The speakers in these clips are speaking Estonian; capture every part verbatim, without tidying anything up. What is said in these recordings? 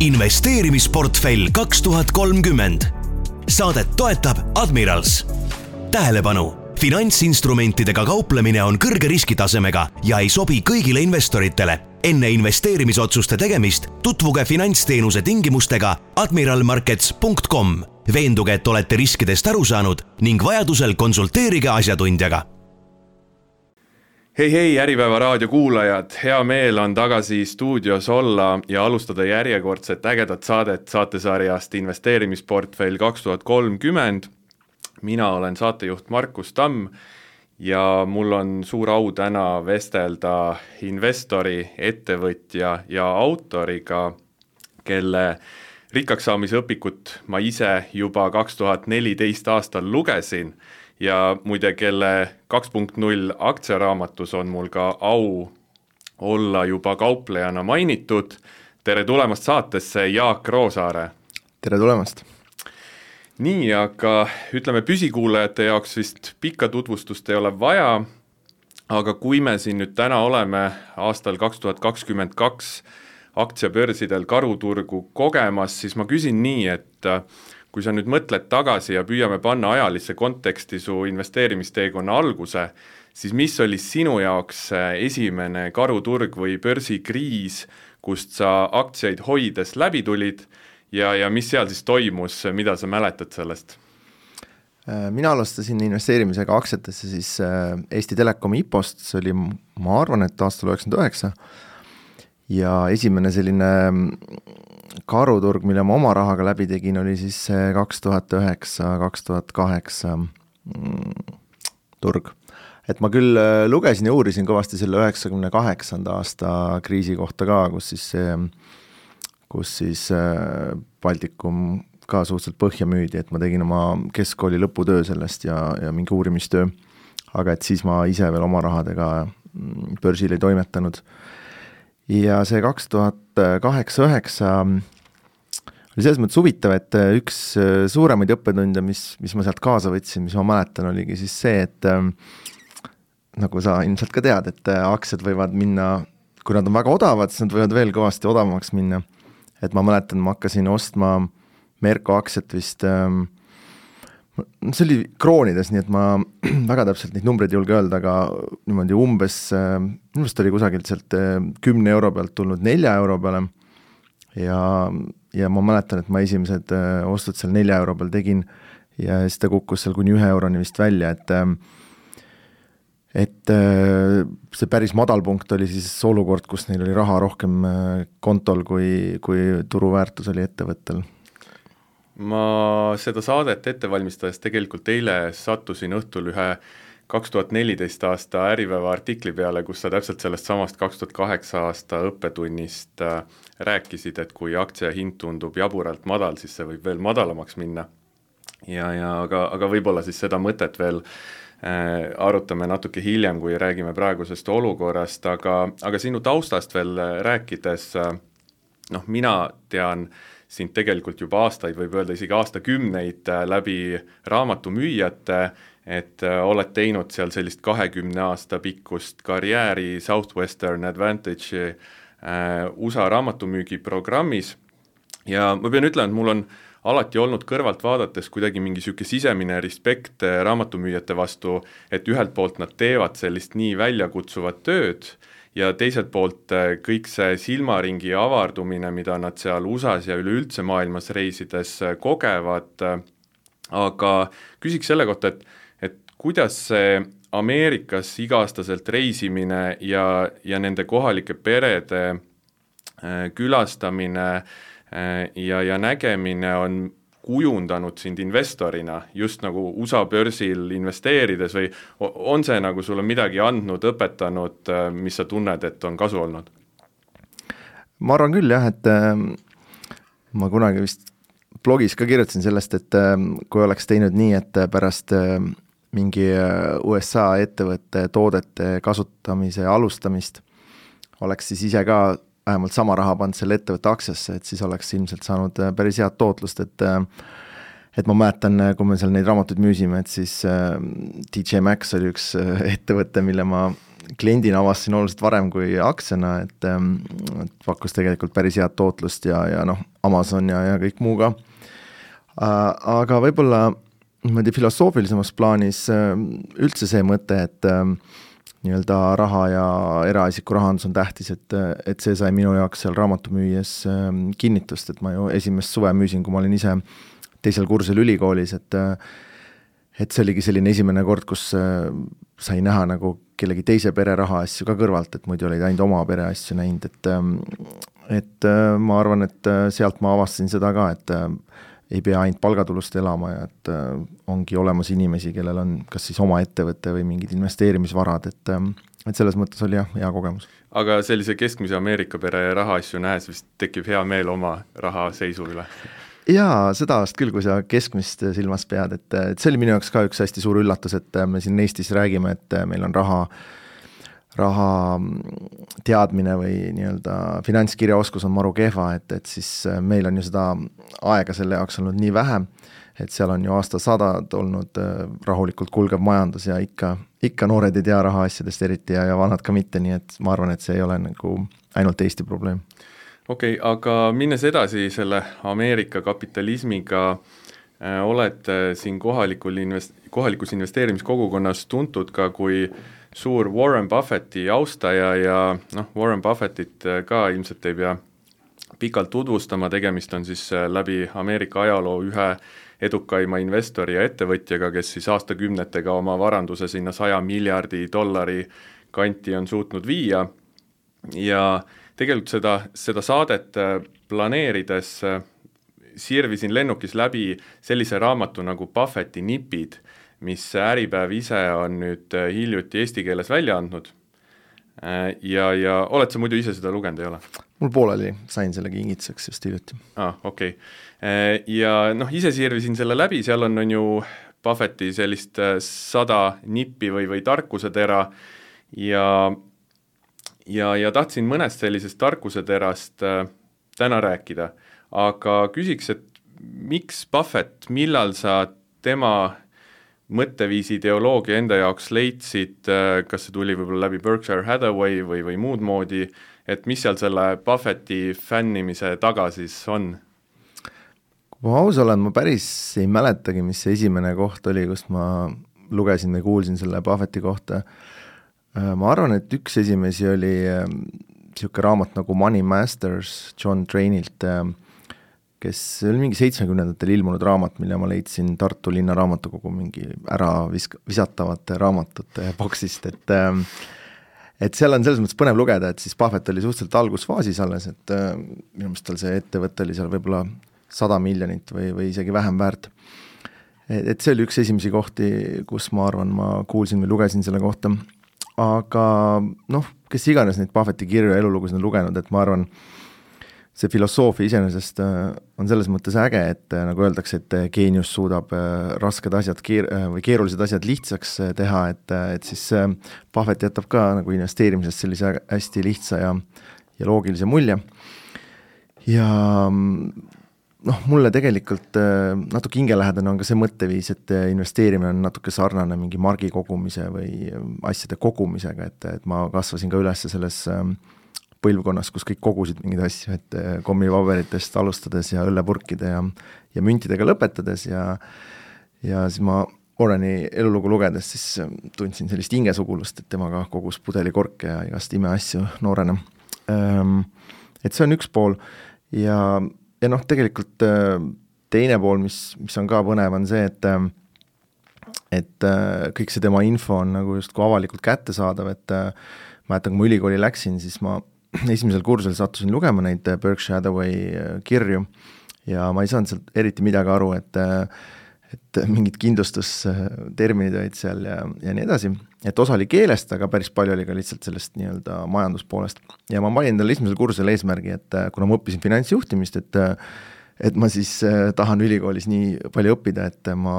investeerimisportfell kaks tuhat kolmkümmend. Saadet toetab Admirals. Tähelepanu! Finantsinstrumentidega kauplemine on kõrge riskitasemega ja ei sobi kõigile investoritele. Enne investeerimisotsuste tegemist tutvuge finantsteenuse tingimustega admiral markets punkt com. Veenduge, et olete riskidest aru saanud ning vajadusel konsulteerige asjatundjaga. Hei hei, Äripäeva raadio kuulajad, hea meel on tagasi stuudios olla ja alustada järjekordset ägedat saadet saatesarjast investeerimisportfell kaks tuhat kolmkümmend. Mina olen saatejuht Markus Tamm ja mul on suur au täna vestelda investori, ettevõtja ja autoriga, kelle rikkaks saamise õpikut ma ise juba kaks tuhat neliteist aastal lugesin ja muide, kelle kaks punkt null aktsiaraamatus on mul ka au olla juba kauplejana mainitud. Tere tulemast saatesse, Jaak Roosaare! Tere tulemast! Nii, aga ütleme püsikuulajate jaoks vist pikka tutvustust ei ole vaja, aga kui me siin nüüd täna oleme aastal kaks tuhat kakskümmend kaks aktsiabörsidel karuturgu kogemas, siis ma küsin nii, et kui sa nüüd mõtled tagasi ja püüame panna ajalisse konteksti su investeerimisteekonna alguse, siis mis oli sinu jaoks esimene karuturg või börsikriis, kust sa aktsiaid hoides läbi tulid ja, ja mis seal siis toimus, mida sa mäletad sellest? Mina alustasin investeerimisega aktsiatesse siis Eesti Telekomi I P O-st, see oli, ma arvan, et aastal üheksakümmend üheksa ja esimene selline karuturg, mille ma oma rahaga läbi tegin, oli siis kaks tuhat üheksa kaks tuhat kaheksa turg. Et ma küll lugesin ja uurisin kõvasti selle üheksakümne kaheksanda aasta kriisi kohta ka, kus siis, kus siis Baltikum ka suhteliselt põhja müüdi, et ma tegin oma keskkooli lõputöö sellest ja, ja mingi uurimistöö, aga et siis ma ise veel oma rahadega börsil ei toimetanud. Ja see kaks tuhat kaheksa üheksa oli selles mõttes huvitav, et üks suuremaid õppetunde, mis, mis ma sealt kaasa võtsin, mis ma mäletan, oligi siis see, et nagu sa ilmselt ka tead, et aktsiad võivad minna, kui nad on väga odavad, siis nad võivad veel kõvasti odavamaks minna. Et ma mäletan, ma hakkasin ostma Merko aktsiat vist, see oli kroonides, nii et ma väga täpselt neid numbreid ei julge öelda, aga niimoodi umbes, minust oli kusagilt sealt kümne euro pealt tulnud nelja euro peale ja, ja ma mäletan, et ma esimesed ostud seal nelja euro peal tegin ja siis ta kukkus seal kuni ühe euroni vist välja, et et see päris madal punkt oli siis olukord, kus neil oli raha rohkem kontol, kui, kui turuväärtus oli ettevõttel. Ma seda saadet ette valmistades tegelikult eile sattusin õhtul ühe kaks tuhat neliteist aasta Äripäeva artikli peale, kus sa täpselt sellest samast kaks tuhat kaheksa aasta õppetunnist rääkisid, et kui aktsia hind tundub jaburalt madal, siis see võib veel madalamaks minna. Ja, ja, aga, aga võib-olla siis seda mõtet veel äh, arutame natuke hiljem, kui räägime praegusest olukorrast, aga, aga sinu taustast veel rääkides, äh, noh, mina tean sind tegelikult juba aastaid, võib öelda isegi aastakümneid läbi raamatumüüjate, et oled teinud seal sellist kahekümne aasta pikkust karjääri Southwestern Advantage U S A raamatumüügi programmis ja ma pean ütlema, et mul on alati olnud kõrvalt vaadates kuidagi mingi siuke sisemine respekt raamatumüüjate vastu, et ühelt poolt nad teevad sellist nii väljakutsuvat tööd ja teiselt poolt kõik see silmaringi avardumine, mida nad seal U S A-s ja üleüldse maailmas reisides kogevad, aga küsiks selle kohta, et, et kuidas see Ameerikas iga-aastaselt reisimine ja, ja nende kohalike perede külastamine ja, ja nägemine on kujundanud sind investorina just nagu U S A börsil investeerides või on see nagu sulle midagi andnud, õpetanud, mis sa tunned, et on kasu olnud? Ma arvan küll jah, et äh, ma kunagi vist blogis ka kirjutasin sellest, et äh, kui oleks teinud nii, et pärast äh, mingi U S A ettevõtte toodete kasutamise alustamist oleks siis ise ka vähemalt sama raha pannud selle ettevõtte aktsiasse, et siis oleks ilmselt saanud päris head tootlust, et et ma mäletan, kui me seal neid raamatuid müüsime, et siis D J Maxx oli üks ettevõte, mille ma kliendina avastasin oluliselt varem kui aktsiana, et, et pakkus tegelikult päris head tootlust ja, ja noh, Amazon ja, ja kõik muu ka. Aga võib-olla mõeldi filosoofilisemas plaanis üldse see mõte, et nii-öelda raha ja eraisiku rahandus on tähtis, et, et see sai minu jaoks seal raamatu müües kinnitust, et ma ju esimest suve müüsin, kui ma olin ise teisel kursusel ülikoolis, et et see oligi selline esimene kord, kus sai näha nagu kellegi teise pere raha asju ka kõrvalt, et muidu olid ainult oma pere asju näinud, et et ma arvan, et sealt ma avastasin seda ka, et ei pea ainult palgatulust elama ja et ongi olemas inimesi, kellel on kas siis oma ettevõte või mingid investeerimisvarad, et, et selles mõttes oli jah, hea kogemus. Aga sellise keskmise Ameerika pere raha asju nähes vist tekib hea meel oma raha seisu üle? Jaa, seda vast küll, kui sa keskmist silmas pead, et, et see oli minu jaoks ka üks hästi suur üllatus, et me siin Eestis räägime, et meil on raha, raha teadmine või nii-öelda finantskirjaoskus on maru kehva, et, et siis meil on ju seda aega selle jaoks olnud nii vähe, et seal on ju aastasadad olnud rahulikult kulgev majandus ja ikka, ikka noored ei tea raha asjadest eriti ja, ja vanad ka mitte, nii et ma arvan, et see ei ole nagu ainult Eesti probleem. Okei, okay, aga minnes edasi selle Ameerika kapitalismiga, äh, oled siin kohalikul invest- kohalikus investeerimiskogukonnas tuntud ka kui suur Warren Buffetti austaja ja noh, Warren Buffettit ka ilmselt ei pea pikalt tutvustama, tegemist on siis läbi Ameerika ajaloo ühe edukaima investori ja ettevõtjaga, kes siis aastakümnetega oma varanduse sinna saja miljardi dollari kanti on suutnud viia ja tegelikult seda, seda saadet planeerides sirvisin lennukis läbi sellise raamatu nagu Buffetti nipid, mis Äripäev ise on nüüd hiljuti eesti keeles välja andnud. Ja, ja oled sa muidu ise seda lugenud, ei ole? Mul pooleli, sain selle kingituseks just hiljuti. Ah, okei. Okay. Ja noh, ise sirvisin selle läbi, seal on, on ju Buffetti sellist sada nippi või, või tarkusetera ja Ja, ja tahtsin mõnest sellisest tarkuseterast äh, täna rääkida, aga küsiks, et miks Buffett, millal sa tema mõtteviisi ideoloogia enda jaoks leidsid, äh, kas see tuli võib-olla läbi Berkshire Hathaway või, või muud moodi, et mis seal selle Buffetti fännimise taga siis on? Kui ma aus olen, ma päris ei mäletagi, mis see esimene koht oli, kus ma lugesin või kuulsin selle Buffetti kohta. Ma arvan, et üks esimesi oli niisugune raamat nagu Money Masters John Trainilt, kes oli mingi seitsmekümnendatel ilmunud raamat, mille ma leidsin Tartu linna raamatukogu mingi ära visk- visatavate raamatute boksist, et et seal on selles mõttes põnev lugeda, et siis Buffett oli suhteliselt algusfaasis alles, et minu meelest tal see ettevõte oli seal võib-olla sada miljonit või, või isegi vähem väärt. Et see oli üks esimesi kohti, kus ma arvan, ma kuulsin või lugesin selle kohta. Aga noh, kes iganes neid Buffetti kirju ja elulugusid on lugenud, et ma arvan, see filosoofia iseenesest on selles mõttes äge, et nagu öeldakse, et geenius suudab rasked asjad keer- või keerulised asjad lihtsaks teha, et, et siis Buffett jätab ka nagu investeerimisest sellise hästi lihtsa ja, ja loogilise mulje. Ja noh, mulle tegelikult natuke hingelähedane on ka see mõtteviis, et investeerimine on natuke sarnane mingi margi kogumise või asjade kogumisega, et, et ma kasvasin ka üles selles põlvkonnas, kus kõik kogusid mingeid asju, et kommipaberitest alustades ja õllepurkide ja, ja müntidega lõpetades ja, ja siis ma Warreni elulugu lugedes siis tundsin sellist hingesugulust, et tema ka kogus pudelikorke ja igast imeasju noorena. Et see on üks pool ja Ja noh, tegelikult teine pool, mis, mis on ka põnev, on see, et, et kõik see tema info on nagu just kui avalikult kättesaadav, et ma jätan, kui ma ülikooli läksin, siis ma esimesel kursusel sattusin lugema neid Berkshire Hathaway kirju ja ma ei saanud sealt eriti midagi aru, et, et mingid kindlustusterminid olid seal ja, ja nii edasi. Et osa oli keelest, aga päris palju oli ka lihtsalt sellest nii-öelda majanduspoolest. Ja ma panin endale esimesel kursusel eesmärgi, et kuna ma õppisin finantsjuhtimist, et, et ma siis tahan ülikoolis nii palju õppida, et ma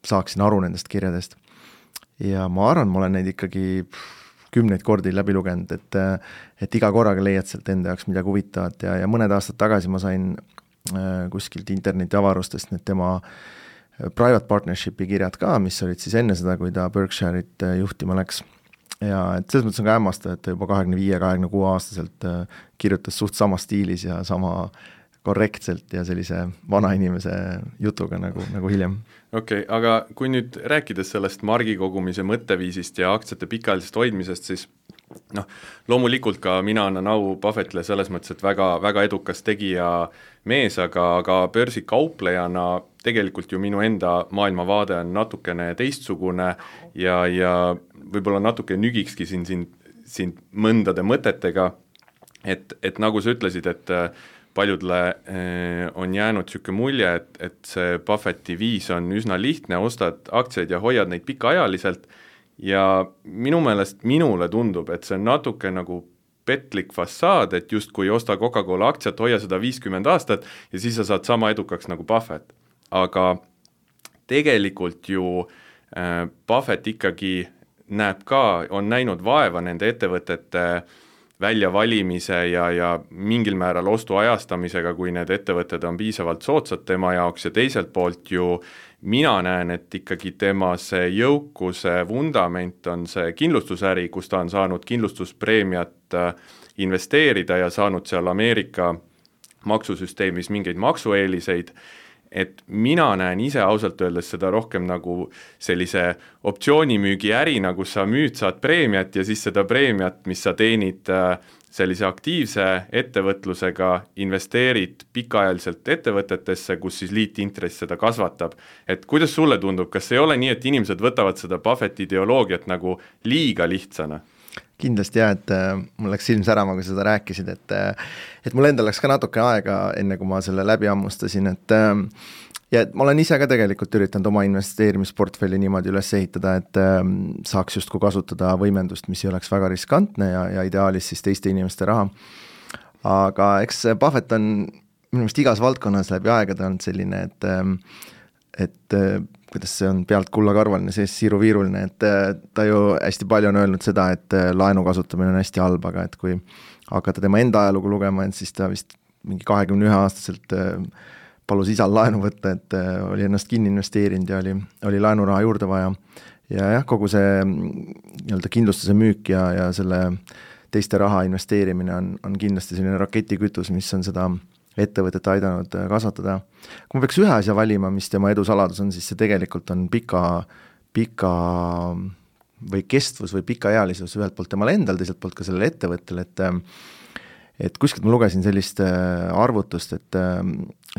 saaksin aru nendest kirjadest. Ja ma arvan, ma olen neid ikkagi kümneid kordi läbi lugenud, et, et iga korraga leiad sealt enda jaoks midagi huvitavat ja, ja mõned aastad tagasi ma sain kuskilt interneti avarustest need tema private partnershipi kirjad ka, mis olid siis enne seda, kui ta Berkshire'it juhtima läks. ja et selles mõttes on ka hämmastav, et ta juba kahekümne viie kahekümne kuue aastaselt kirjutas suht sama stiilis ja sama korrektselt ja sellise vana inimese jutuga nagu, nagu hiljem. Okei, okay, aga kui nüüd rääkides sellest margikogumise mõtteviisist ja aktsiate pikaajalisest hoidmisest, siis noh, loomulikult ka mina annan au Buffettile selles mõttes, et väga, väga edukas tegija mees, aga, aga börsikauplejana tegelikult ju minu enda maailmavaade on natukene teistsugune ja, ja võib-olla natuke nügikski siin, siin, siin mõndade mõtetega, et, et nagu sa ütlesid, et paljudele on jäänud niisugune mulje, et, et see Buffetti viis on üsna lihtne, ostad aktsiaid ja hoiad neid pikaajaliselt ja minu meelest minule tundub, et see on natuke nagu petlik fassaad, et justkui osta Coca-Cola aktsiat, hoia seda viiskümmend aastat ja siis sa saad sama edukaks nagu Buffett. Aga tegelikult ju äh, Buffett ikkagi näeb ka, on näinud vaeva nende ettevõtete väljavalimise ja, ja mingil määral ostu ajastamisega, kui need ettevõtted on piisavalt soodsad tema jaoks ja teiselt poolt ju mina näen, et ikkagi tema see jõukuse vundament on see kindlustusäri, kus ta on saanud kindlustuspreemiat investeerida ja saanud seal Ameerika maksusüsteemis mingeid maksueeliseid, et mina näen ise ausalt öeldes seda rohkem nagu sellise optsioonimüügi ärina, kus sa müüd, saad preemiat ja siis seda preemiat, mis sa teenid sellise aktiivse ettevõtlusega, investeerid pikaajaliselt ettevõtetesse, kus siis liitintress seda kasvatab. Et kuidas sulle tundub, kas ei ole nii, et inimesed võtavad seda Buffetti ideoloogiat nagu liiga lihtsana? Kindlasti jah, et äh, mul läks silm särama, kui seda rääkisid, et, äh, et mul endal läks ka natuke aega, enne kui ma selle läbi ammustasin, et äh, ja et ma olen ise ka tegelikult üritanud oma investeerimisportfelli niimoodi üles ehitada, et äh, saaks justkui kasutada võimendust, mis ei oleks väga riskantne ja, ja ideaalis siis teiste inimeste raha. Aga eks Buffett on minu meelest igas valdkonnas läbi aegade olnud selline, et äh, et kuidas see on pealt kullakarvaline, sees siiruviiruline, et ta ju hästi palju on öelnud seda, et laenu kasutamine on hästi halb, aga et kui hakata tema enda ajalugu lugema, siis ta vist mingi kahekümne ühe aastaselt palus isal laenu võtta, et oli ennast kinni investeerinud ja oli, oli laenuraha juurde vaja. Ja jah, kogu see nii-öelda kindlustuse müük ja, ja selle teiste raha investeerimine on, on kindlasti selline raketikütus, mis on seda ettevõtet aidanud kasvatada. Kui ma peaks ühe asja valima, mis tema edu saladus on, siis see tegelikult on pika, pika või kestvus või pikaealisus ühelt poolt temal endal, teiselt poolt ka sellele ettevõttele, et, et kuskilt ma lugesin sellist arvutust, et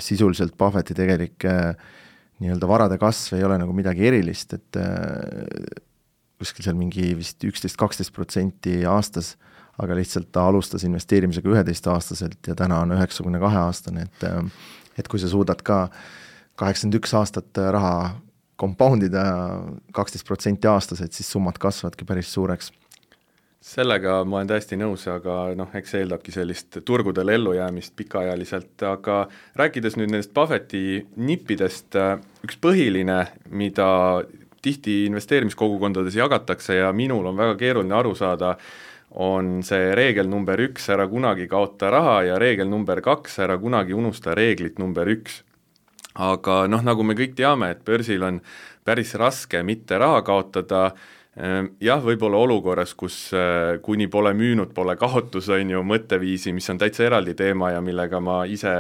sisuliselt Buffetti tegelik nii-öelda varade kasv ei ole nagu midagi erilist, et kuskil seal mingi vist üksteist kaksteist protsenti aastas, aga lihtsalt ta alustas investeerimisega üheteist aastaselt ja täna on üheksakümne kahe aastane, et, et kui sa suudad ka kaheksakümmend üks aastat raha compoundida kaksteist protsenti aastas, et siis summad kasvadki päris suureks. Sellega ma olen täiesti nõus, aga noh, eks see eeldabki sellist turgudel ellujäämist pikaajaliselt, aga rääkides nüüd nendest Buffetti nippidest, üks põhiline, mida tihti investeerimiskogukondades jagatakse ja minul on väga keeruline aru saada, on see reegel number üks, ära kunagi kaota raha ja reegel number kaks, ära kunagi unusta reeglit number üks. Aga noh, nagu me kõik teame, et börsil on päris raske mitte raha kaotada, jah, võib-olla olukorras, kus kuni pole müünud, pole kaotus, on ju mõtteviisi, mis on täitsa eraldi teema ja millega ma ise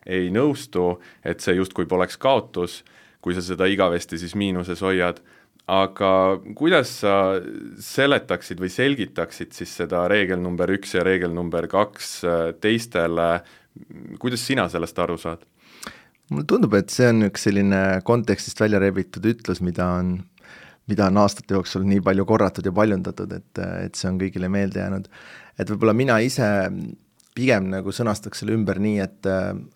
ei nõustu, et see justkui poleks kaotus, kui sa seda igavesti siis miinuses hoiad. Aga kuidas sa seletaksid või selgitaksid siis seda reegel number üks ja reegel number kaks teistele, kuidas sina sellest aru saad? Mulle tundub, et see on üks selline kontekstist välja rebitud ütlus, mida on, mida on aastate jooksul nii palju korratud ja paljundatud, et, et see on kõigile meelde jäänud. Et võib-olla mina ise pigem nagu sõnastaks selle ümber nii, et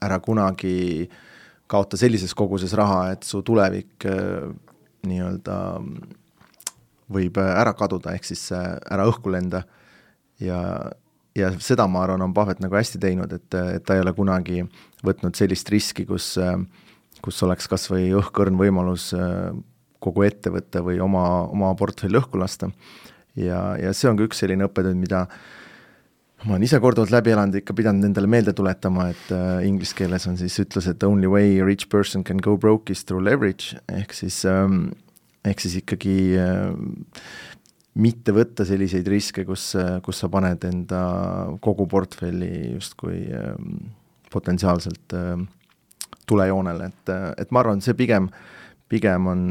ära kunagi kaota sellises koguses raha, et su tulevik nii-öelda võib ära kaduda, ehk siis ära õhku lenda ja, ja seda ma arvan, on Buffett nagu hästi teinud, et, et ta ei ole kunagi võtnud sellist riski, kus, kus oleks kas või õhkõrn võimalus kogu ettevõtte või oma, oma portfell õhku lasta ja, ja see on ka üks selline õppetund, mida ma olen ise korduvalt läbi elanud, ikka pidanud endale meelde tuletama, et äh, inglise keeles on siis ütlus, et only way a rich person can go broke is through leverage, ehk siis, ähm, ehk siis ikkagi äh, mitte võtta selliseid riske, kus, kus sa paned enda kogu portfelli justkui potentsiaalselt tulejoonele, et, et ma arvan, see pigem, pigem on,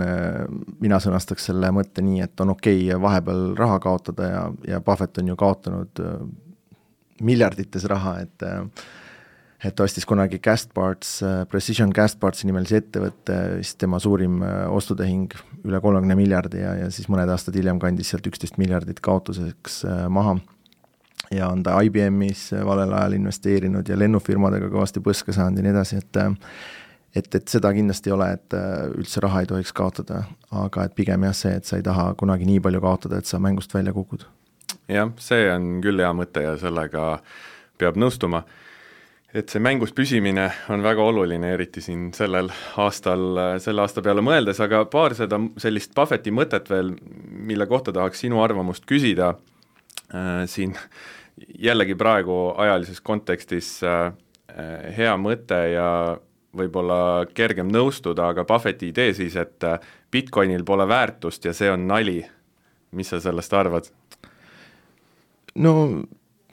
mina sõnastaks selle mõtte nii, et on okei okay vahepeal raha kaotada ja, ja Buffett on ju kaotanud miljardites raha, et et ostis kunagi Castparts, Precision Castpartsi nimelise ettevõtte, siis tema suurim ostutehing üle kolmekümne miljardi ja, ja siis mõned aastad hiljem kandis sealt üksteist miljardit kaotuseks maha. Ja on ta I B M-is valel ajal investeerinud ja lennufirmadega kõvasti põska saanud ja nii edasi, et et, et seda kindlasti ei ole, et üldse raha ei tohiks kaotada, aga et pigem jah see, et sa ei taha kunagi nii palju kaotada, et sa mängust välja kukud. Jah, see on küll hea mõte ja sellega peab nõustuma. Et see mängus püsimine on väga oluline, eriti siin sellel aastal, selle aasta peale mõeldes, aga paar seda sellist Buffetti mõtet veel, mille kohta tahaks sinu arvamust küsida äh, siin jällegi praegu ajalises kontekstis äh, hea mõte ja võib-olla kergem nõustuda, aga Buffetti idee siis, et Bitcoinil pole väärtust ja see on nali. Mis sa sellest arvad? No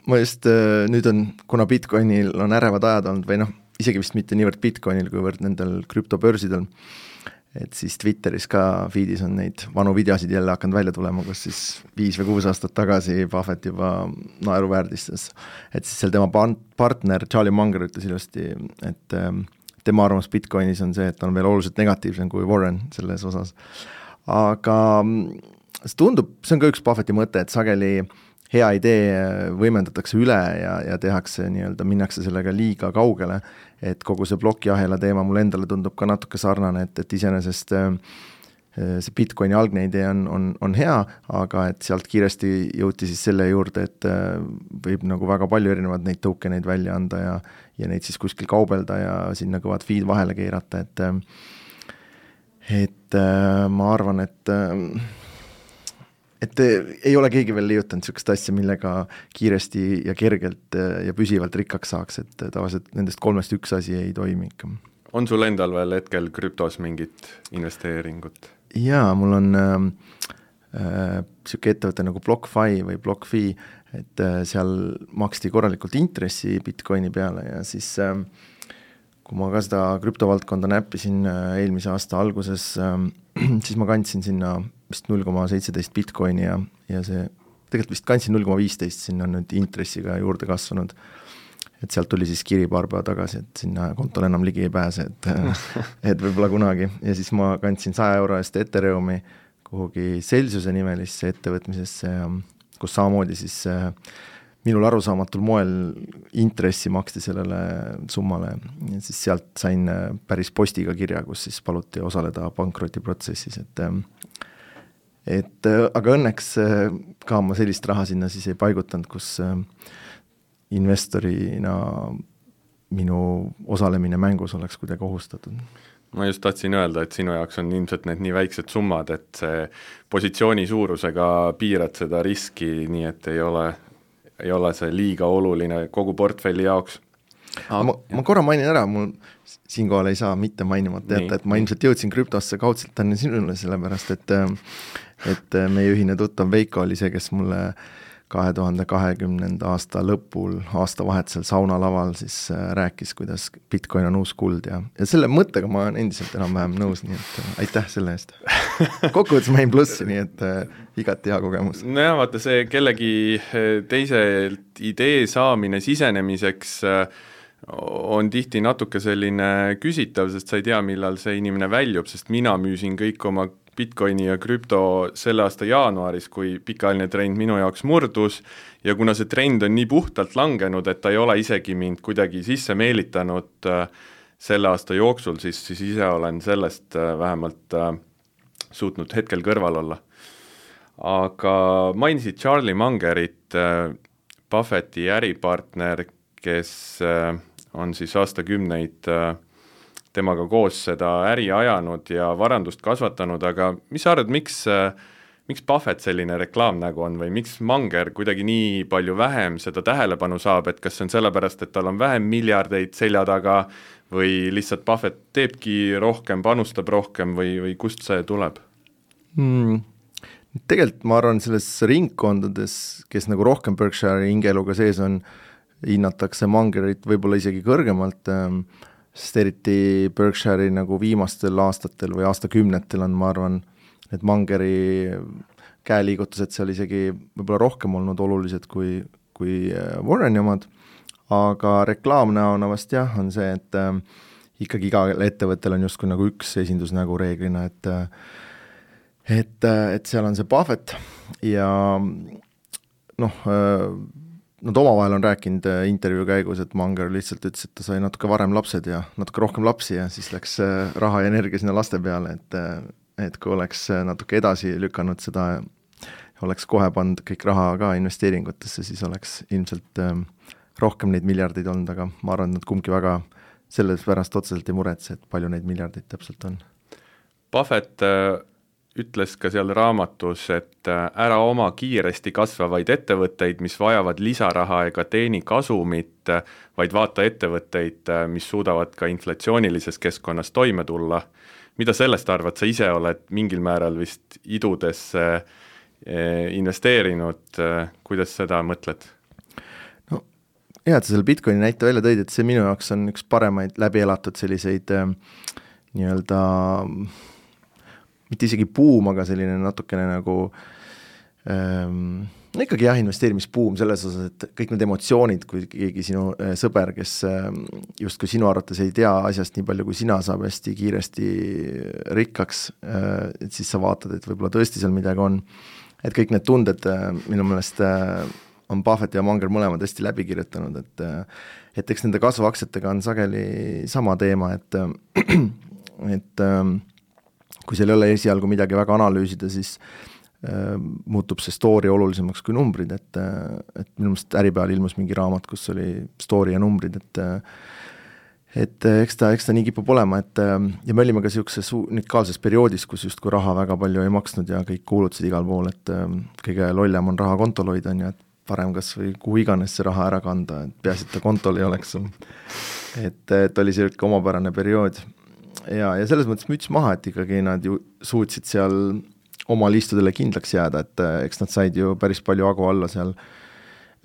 ma just nüüd on, kuna Bitcoinil on ärevad ajad olnud või noh, isegi vist mitte niivõrd Bitcoinil, kuivõrd nendel krüptobörsidel, et siis Twitteris ka feedis on neid vanu videosid jälle hakanud välja tulema, kus siis viis või kuus aastat tagasi Buffett juba naeruväärtistas. Et siis seal tema partner Charlie Munger ütles ilusti, et tema arvamus Bitcoinis on see, et on veel oluliselt negatiivsem kui Warren selles osas. Aga see tundub, see on ka üks Buffetti mõte, et sageli hea idee võimendatakse üle ja, ja tehakse nii-öelda, minnakse sellega liiga kaugele, et kogu see plokiahela teema mul endale tundub ka natuke sarnane, et, et iseenesest see Bitcoini algne idee on, on, on hea, aga et sealt kiiresti jõuti siis selle juurde, et võib nagu väga palju erinevad neid tokeneid välja anda ja, ja neid siis kuskil kaubelda ja sinna kõvad feed vahele keerata, et et ma arvan, et et ei ole keegi veel liiutanud sellist asja, millega kiiresti ja kergelt ja püsivalt rikkaks saaks, et tavaliselt nendest kolmest üks asi ei toimi ikka. On sul endal veel hetkel krüptos mingit investeeringut? Jaa, mul on äh, siuke ettevõte nagu BlockFi või BlockFi, et äh, seal maksti korralikult intressi Bitcoini peale ja siis äh, kui ma ka seda krüptovaldkonda näppisin äh, eelmise aasta alguses, äh, siis ma kandsin sinna vist null koma seitseteist Bitcoini ja, ja see, tegelikult vist kandsin null koma viisteist, sinna on nüüd intressiga juurde kasvanud, et sealt tuli siis kiri paar päeva tagasi, et sinna kontol enam ligi ei pääse, et, et võib-olla kunagi, ja siis ma kandsin saja euro eest Ethereumi kuhugi Celsiuse nimelisse ettevõtmisesse, kus samamoodi siis minul arusaamatul moel intressi maksti sellele summale ja siis sealt sain päris postiga kirja, kus siis paluti osaleda pankrotiprotsessis, et et aga õnneks ka ma sellist raha sinna siis ei paigutanud, kus investorina minu osalemine mängus oleks kuidagi ohustatud. Ma just tahtsin öelda, et sinu jaoks on ilmselt need nii väiksed summad, et see positsiooni suurusega piirad seda riski, nii et ei ole, ei ole see liiga oluline kogu portfelli jaoks. Ah, ma, ma korra mainin ära, mul siinkohal ei saa mitte mainimata jätta, et ma ilmselt jõudsin krüptosse kaudselt tänne sinule, sellepärast et et meie ühine tuttav Veiko oli see, kes mulle kahe tuhande kahekümnenda aasta lõpul aastavahetusel saunalaval siis rääkis, kuidas Bitcoin on uus kuld ja, ja selle mõttega ma olen endiselt enam-vähem nõus, nii et aitäh selle eest. Kokkuvõttes ma jäin plussi, nii et äh, igati hea kogemus. No jah, vaata see kellegi teiselt idee saamine sisenemiseks äh, on tihti natuke selline küsitav, sest sa ei tea, millal see inimene väljub, sest mina müüsin kõik oma Bitcoini ja krüpto selle aasta jaanuaris, kui pikaajaline trend minu jaoks murdus ja kuna see trend on nii puhtalt langenud, et ta ei ole isegi mind kuidagi sisse meelitanud selle aasta jooksul, siis, siis ise olen sellest vähemalt suutnud hetkel kõrval olla. Aga mainisid Charlie Mungerit, Buffetti äripartner, kes on siis aastakümneid temaga koos seda äri ajanud ja varandust kasvatanud, aga mis sa arvad, miks, miks Buffett selline reklaamnägu on või miks Munger kuidagi nii palju vähem seda tähelepanu saab, et kas see on sellepärast, et tal on vähem miljardeid selja taga või lihtsalt Buffett teebki rohkem, panustab rohkem või, või kust see tuleb? Hmm. tegelikult ma arvan, selles ringkondades, kes nagu rohkem Berkshire'i hingeeluga sees on, hinnatakse Mangerit võib-olla isegi kõrgemalt, sest eriti Berkshire'i nagu viimastel aastatel või aastakümnetel on, ma arvan, et Mangeri käeliigutused seal isegi võib-olla rohkem olnud olulised kui, kui Warreni omad, aga reklaamnäona vast jah, on see, et äh, ikkagi igal ettevõttel on justkui nagu üks esindusnägu reeglina, et et, et seal on see Buffett ja noh, nad omavahel on rääkinud intervjuu käigus, et Munger lihtsalt ütles, et ta sai natuke varem lapsed ja natuke rohkem lapsi ja siis läks raha ja energia sinna laste peale, et, et kui oleks natuke edasi lükanud seda, oleks kohe pannud kõik raha ka investeeringutesse, siis oleks ilmselt rohkem neid miljardeid olnud, aga ma arvan, et nad kumbki väga selles pärast otseselt ei muretse, et palju neid miljardeid täpselt on. Buffett äh, ütles ka seal raamatus, et äh, ära oma kiiresti kasvavaid ettevõtteid, mis vajavad lisaraha ega teeni kasumit, äh, vaid vaata ettevõtteid, äh, mis suudavad ka inflatsioonilises keskkonnas toime tulla. Mida sellest arvad, sa ise oled mingil määral vist idudesse äh, investeerinud, äh, kuidas seda mõtled? Hea, et sa selle Bitcoini näite välja tõid, et see minu jaoks on üks paremaid läbi elatud selliseid äh, nii-öelda mitte isegi buum, aga selline natukene nagu ähm, no ikkagi jah, investeerimisbuum selles osas, et kõik need emotsioonid, kui keegi sinu äh, sõber, kes äh, justkui sinu arvates ei tea asjast nii palju kui sina, saab hästi kiiresti rikkaks, äh, et siis sa vaatad, et võib-olla tõesti seal midagi on, et kõik need tunded äh, minu meelest äh, on Buffett ja Munger mõlemad hästi läbi kirjutanud, et et eks nende kasvuaktsiatega on sageli sama teema, et et kui seal ei ole esialgu midagi väga analüüsida, siis äh, muutub see story olulisemaks kui numbrid, et, et minu meelest Äripäeval ilmus mingi raamat, kus oli story ja numbrid, et et eks ta, eks ta nii kipub olema, et ja me olime ka niisuguses unikaalses perioodis, kus justkui raha väga palju ei maksnud ja kõik kuulutasid igal pool, et kõige lollem on raha kontol hoida, on ju, et parem kas või kuhu iganes see raha ära kanda, et peaasi, et ta kontol ei oleks. Et, et oli selline omapärane periood. Ja, ja selles mõttes müts maha, et ikkagi nad ju suutsid seal oma liistudele kindlaks jääda, et eks nad said ju päris palju agu alla seal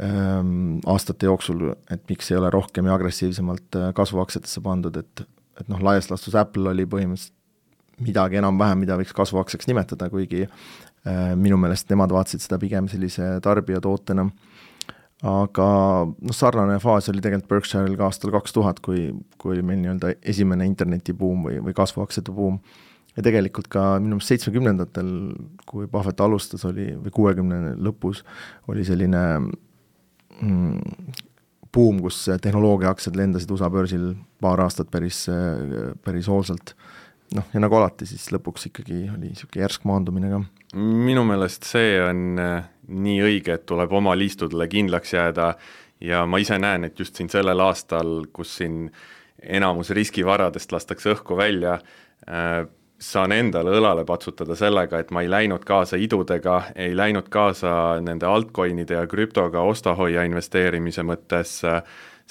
ähm, aastate jooksul, et miks ei ole rohkem ja agressiivsemalt kasvuaktsiatesse pandud, et, et noh, laias lastus Apple oli põhimõtteliselt midagi enam-vähem, mida võiks kasvuaktsiaks nimetada, kuigi minu meelest nemad vaatasid seda pigem sellise tarbijatootena, aga noh, sarnane faas oli tegelikult Berkshire'il ka aastal kaks tuhat, kui, kui meil nii-öelda esimene internetibuum või, või kasvuaktsiate buum. Ja tegelikult ka minu meelest seitsmekümnendatel, kui Buffett alustas, oli, või kuuekümne lõpus, oli selline mm, buum, kus tehnoloogiaaktsiad lendasid U S A börsil paar aastat päris, päris hoolsalt. Noh, ja nagu alati, siis lõpuks ikkagi oli niisugune järsk maandumine ka. Minu meelest see on nii õige, et tuleb oma liistudele kindlaks jääda ja ma ise näen, et just siin sellel aastal, kus siin enamus riskivaradest lastakse õhku välja, saan endale õlale patsutada sellega, et ma ei läinud kaasa idudega, ei läinud kaasa nende altcoinide ja krüptoga ostahoia investeerimise mõttes,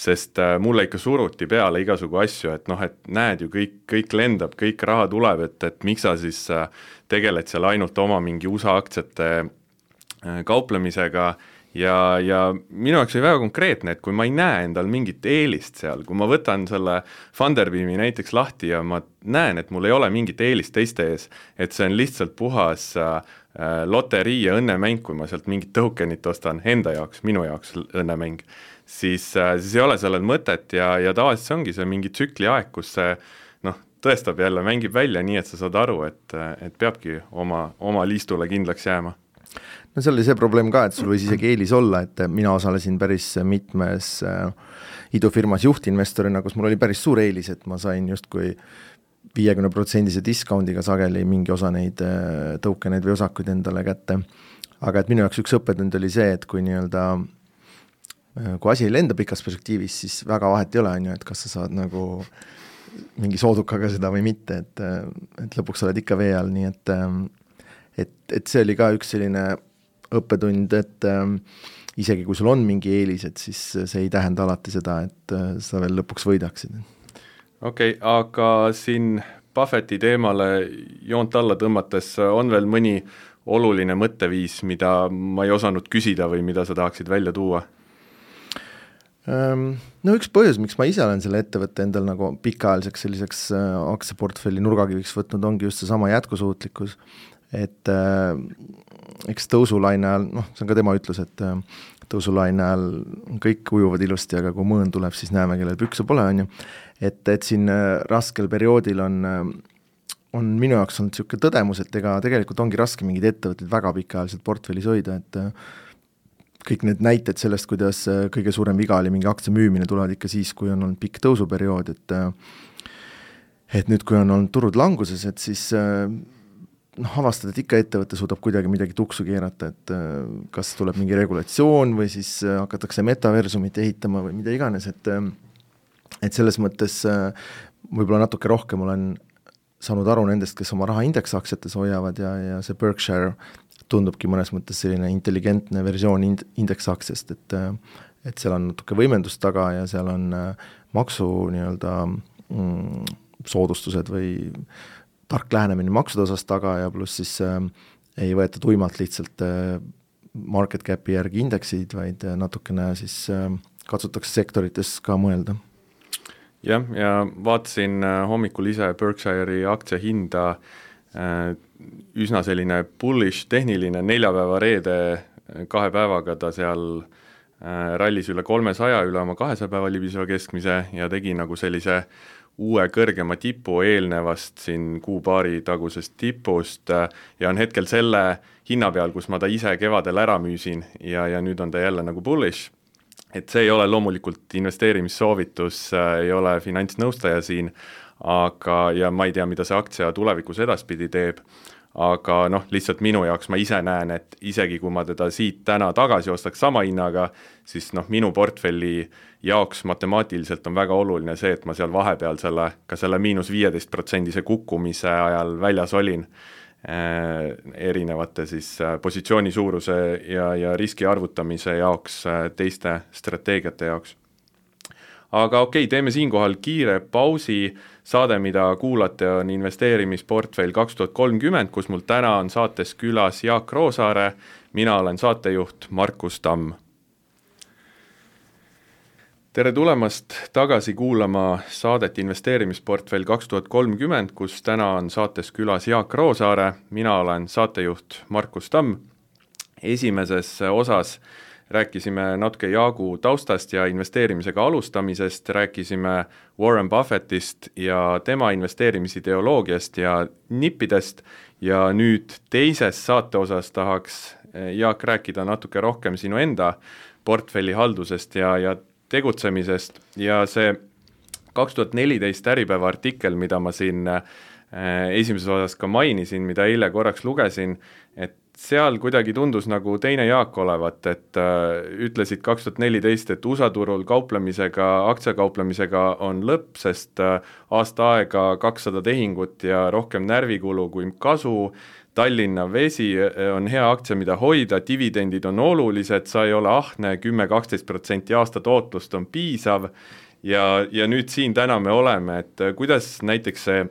sest mulle ikka suruti peale igasugu asju, et noh, et näed ju, kõik, kõik lendab, kõik raha tuleb, et, et miks sa siis tegeled seal ainult oma mingi U S A aktsiate kauplemisega ja, ja minu jaoks oli väga konkreetne, et kui ma ei näe endal mingit eelist seal, kui ma võtan selle Funderbeami näiteks lahti ja ma näen, et mul ei ole mingit eelist teiste ees, et see on lihtsalt puhas loterii ja õnnemäng, kui ma sealt mingit tokenit ostan enda jaoks, minu jaoks õnnemäng, siis, siis ei ole sellel mõtet ja, ja tavaliselt see ongi see mingi tsükli aeg, kus see noh, tõestab jälle, mängib välja nii, et sa saad aru, et, et peabki oma, oma liistule kindlaks jääma. No seal oli see probleem ka, et sul võis isegi eelis olla, et mina osalesin päris mitmes idufirmas juhtinvestorina, kus mul oli päris suur eelis, et ma sain justkui viiekümne protsendise discountiga sageli mingi osa neid tokeneid või osakuid endale kätte. Aga et minu jaoks üks õppetund oli see, et kui nii-öelda kui asi ei lenda pikas perspektiivis, siis väga vahet ei ole, on ju, et kas sa saad nagu mingi soodukaga seda või mitte, et, et lõpuks oled ikka vee all, nii et, et, et see oli ka üks selline õppetund, et isegi kui sul on mingi eelis, et siis see ei tähenda alati seda, et sa veel lõpuks võidaksid. Okei, okay, aga siin Buffetti teemale joont alla tõmmates on veel mõni oluline mõtteviis, mida ma ei osanud küsida või mida sa tahaksid välja tuua? No üks põhjus, miks ma ise olen selle ettevõtte endal nagu pikaajaliseks selliseks aktsiaportfelli nurgakiviks võtnud, ongi just seesama jätkusuutlikkus, et äh, eks tõusulaine ajal, noh, see on ka tema ütlus, et äh, tõusulaine ajal kõik ujuvad ilusti, aga kui mõõn tuleb, siis näeme, kellel pükse pole, on ju. Et, et siin äh, raskel perioodil on, äh, on minu jaoks olnud niisugune tõdemus, et ega tegelikult ongi raske mingid ettevõtted väga pikaajaliselt portfellis hoida, et äh, kõik need näited sellest, kuidas kõige suurem viga oli mingi aktsia müümine, tulevad ikka siis, kui on olnud pikk tõusuperiood, et et nüüd, kui on olnud turud languses, et siis noh, avastad, et ikka ettevõte suudab kuidagi midagi tuksu keerata, et kas tuleb mingi regulatsioon või siis hakatakse metaversumit ehitama või mida iganes, et et selles mõttes võib-olla natuke rohkem olen saanud aru nendest, kes oma raha indeksaktsiates hoiavad ja, ja see Berkshire tundubki mõnes mõttes selline intelligentne versioon ind- indeksaktsiast, et, et seal on natuke võimendust taga ja seal on maksu nii-öelda mm, soodustused või tark lähenemine maksude osas taga ja pluss siis äh, ei võeta tuimalt lihtsalt äh, market capi järgi indeksid, vaid natukene siis äh, katsutakse sektorites ka mõelda. Jah, ja vaatasin äh, hommikul ise Berkshire'i aktsia hinda äh, üsna selline bullish tehniline neljapäeva reede kahe päevaga ta seal äh, rallis üle kolmesaja, üle oma kahesaja päeva libiseva keskmise ja tegi nagu sellise uue kõrgema tipu eelnevast siin kuupaari tagusest tipust äh, ja on hetkel selle hinna peal, kus ma ta ise kevadel ära müüsin ja, ja nüüd on ta jälle nagu bullish. Et see ei ole loomulikult investeerimissoovitus, äh, ei ole finantsnõustaja siin, aga, ja ma ei tea, mida see aktsia tulevikus edaspidi teeb, aga noh, lihtsalt minu jaoks ma ise näen, et isegi kui ma teda siit täna tagasi ostaks sama hinnaga, siis noh, minu portfelli jaoks matemaatiliselt on väga oluline see, et ma seal vahepeal selle, ka selle miinus viieteist protsendise kukkumise ajal väljas olin äh, erinevate siis äh, positsiooni suuruse ja, ja riski arvutamise jaoks äh, teiste strateegiate jaoks. Aga okei, teeme siinkohal kiire pausi. Saade, mida kuulate, on investeerimisportfell kaks tuhat kolmkümmend, kus mul täna on saates külas Jaak Roosaare. Mina olen saatejuht Markus Tamm. Tere tulemast tagasi kuulama saadet investeerimisportfell kaks tuhat kolmkümmend, kus täna on saates külas Jaak Roosaare. Mina olen saatejuht Markus Tamm. Esimeses osas rääkisime natuke Jaagu taustast ja investeerimisega alustamisest, rääkisime Warren Buffettist ja tema investeerimisideoloogiast ja nippidest ja nüüd teises saate osas tahaks Jaak rääkida natuke rohkem sinu enda portfelli haldusest ja, ja tegutsemisest ja see kaks tuhat neliteist Äripäeva artikkel, mida ma siin esimeses osas ka mainisin, mida eile korraks lugesin, et seal kuidagi tundus nagu teine Jaak olevat, et äh, ütlesid kaks tuhat neliteist, et U S A turul kauplemisega, aktsiakauplemisega on lõpp, sest äh, aasta aega kakssada tehingut ja rohkem närvikulu kui kasu, Tallinna Vesi on hea aktsia, mida hoida, dividendid on olulised, sa ei ole ahne, kümme kuni kaksteist protsenti aasta tootlust on piisav ja, ja nüüd siin täna me oleme, et kuidas näiteks see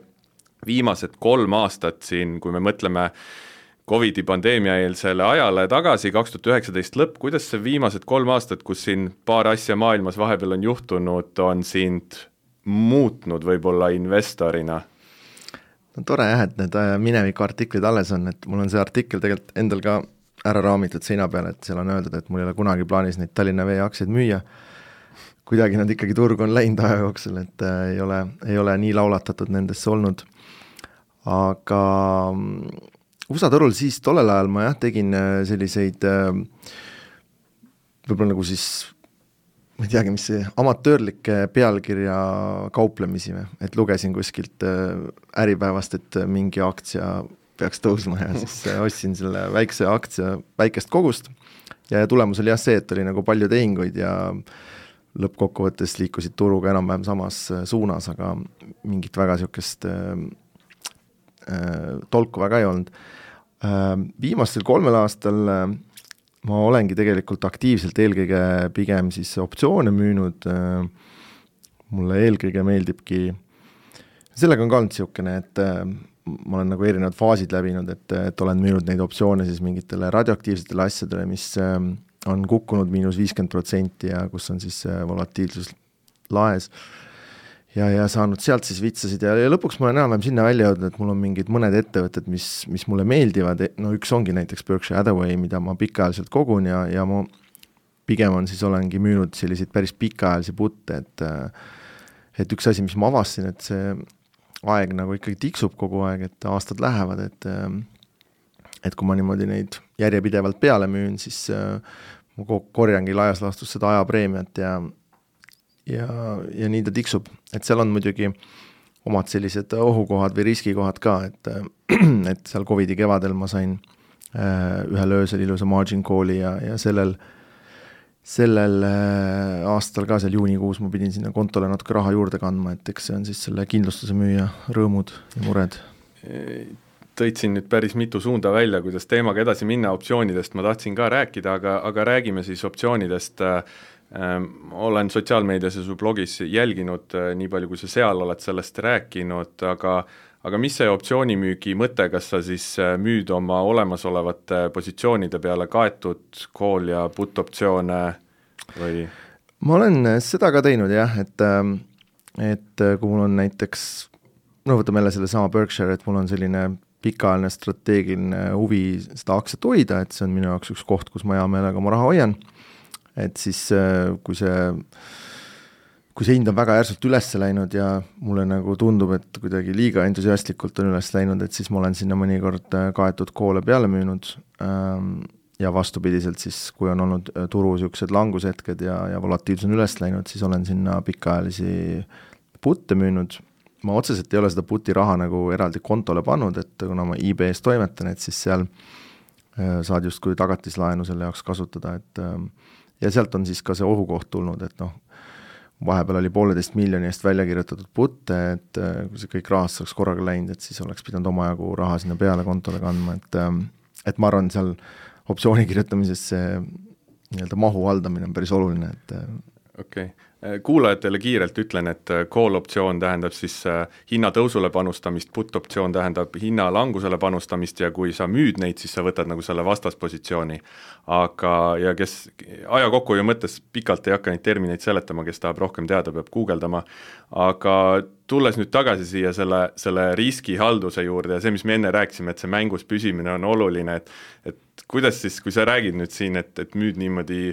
viimased kolm aastat siin, kui me mõtleme Covidi pandeemia eelsele ajale tagasi, kaks tuhat üheksateist lõpp, kuidas see viimased kolm aastat, kus siin paar asja maailmas vahepeal on juhtunud, on sind muutnud võib-olla investorina? No tore jah, et need mineviku artiklid alles on, et mul on see artikkel tegelikult endal ka ära raamitud seina peal, et seal on öeldud, et mul ei ole kunagi plaanis neid Tallinna Vee aktsiaid müüa. Kuidagi nad ikkagi turgu on läinud aja jooksul, et ei ole, ei ole nii laulatatud nendesse olnud. Aga U S A turul siis tollel ajal ma jah tegin selliseid võib-olla nagu siis ma ei teagi, mis see amatöörlikke pealkirja kauplemisi, et lugesin kuskilt Äripäevast, et mingi aktsia peaks tõusma ja siis ostsin selle väikse aktsia väikest kogust ja tulemus oli jah see, et oli nagu palju tehinguid ja lõppkokkuvõttes liikusid turuga enam-vähem samas suunas, aga mingit väga siukest tolku väga ei olnud. Viimastel kolmel aastal ma olengi tegelikult aktiivselt eelkõige pigem siis optsioone müünud. Mulle eelkõige meeldibki, sellega on ka olnud siukene, et ma olen nagu erinevad faasid läbinud, et, et olen müünud neid optsioone siis mingitele radioaktiivsetele asjadele, mis on kukkunud miinus viiskümmend protsenti ja kus on siis volatiilsus laes ja, ja saanud sealt siis vitsasid ja, ja lõpuks ma olen enam sinna välja jõudnud, et mul on mingid mõned ettevõtted, mis, mis mulle meeldivad, no üks ongi näiteks Berkshire Hathaway, mida ma pikaajaliselt kogun ja, ja ma pigem on siis olengi müünud selliseid päris pikaajalisi putte, et et üks asi, mis ma avastasin, et see aeg nagu ikkagi tiksub kogu aeg, et aastad lähevad, et et kui ma niimoodi neid järjepidevalt peale müün, siis ma korjangi laias laastus seda ajapreemiat ja ja, ja nii ta tiksub. Et seal on muidugi omad sellised ohukohad või riskikohad ka, et, et seal Covidi kevadel ma sain ühel öösel ilusa margin call'i ja, ja sellel sellel aastal ka seal juunikuus ma pidin sinna kontole natuke raha juurde kandma, et eks see on siis selle kindlustuse müüja rõõmud ja mured. Tõid siin nüüd päris mitu suunda välja, kuidas teemaga edasi minna, optsioonidest ma tahtsin ka rääkida, aga, aga räägime siis optsioonidest. Ähm, olen sotsiaalmeedias ja su blogis jälginud nii palju, kui sa seal oled sellest rääkinud, aga aga mis see optsioonimüügi mõte, kas sa siis müüd oma olemasolevate positsioonide peale kaetud call ja put optsioone või? Ma olen seda ka teinud jah, et, et kui mul on näiteks, no võtame jälle selle sama Berkshire, et mul on selline pikaajaline strateegiline huvi seda aktsiat hoida, et see on minu jaoks üks koht, kus ma hea meelega oma raha hoian, et siis kui see kui see hind on väga järsult üles läinud ja mulle nagu tundub, et kuidagi liiga entusiastlikult on üles läinud, et siis ma olen sinna mõnikord kaetud koole peale müünud ja vastupidiselt siis, kui on olnud turu siuksed langushetked ja, ja volatiilsus on üles läinud, siis olen sinna pikaajalisi putte müünud. Ma otseselt ei ole seda puti raha nagu eraldi kontole pannud, et kuna ma E B S toimetan, et siis seal saad just kui tagatislaenu selle jaoks kasutada, et ja sealt on siis ka see ohukoht tulnud, et noh, vahepeal oli pooleteist miljoni eest välja kirjutatud putte, et kui see kõik rahast saaks korraga läinud, et siis oleks pidanud omajagu raha sinna peale kontole kandma, et, et ma arvan, seal optsiooni kirjutamises see nii-öelda mahu haldamine on päris oluline, et okei. Kuulajatele kiirelt ütlen, et call optsioon tähendab siis hinnatõusule panustamist, put optsioon tähendab hinna langusele panustamist ja kui sa müüd neid, siis sa võtad nagu selle vastaspositsiooni. Aga ja kes aja kokkuhoiu mõttes pikalt ei hakka neid termineid seletama, kes tahab rohkem teada, peab guugeldama. Aga tulles nüüd tagasi siia selle, selle riskihalduse juurde ja see, mis me enne rääkisime, et see mängus püsimine on oluline, et, et kuidas siis, kui sa räägid nüüd siin, et, et müüd niimoodi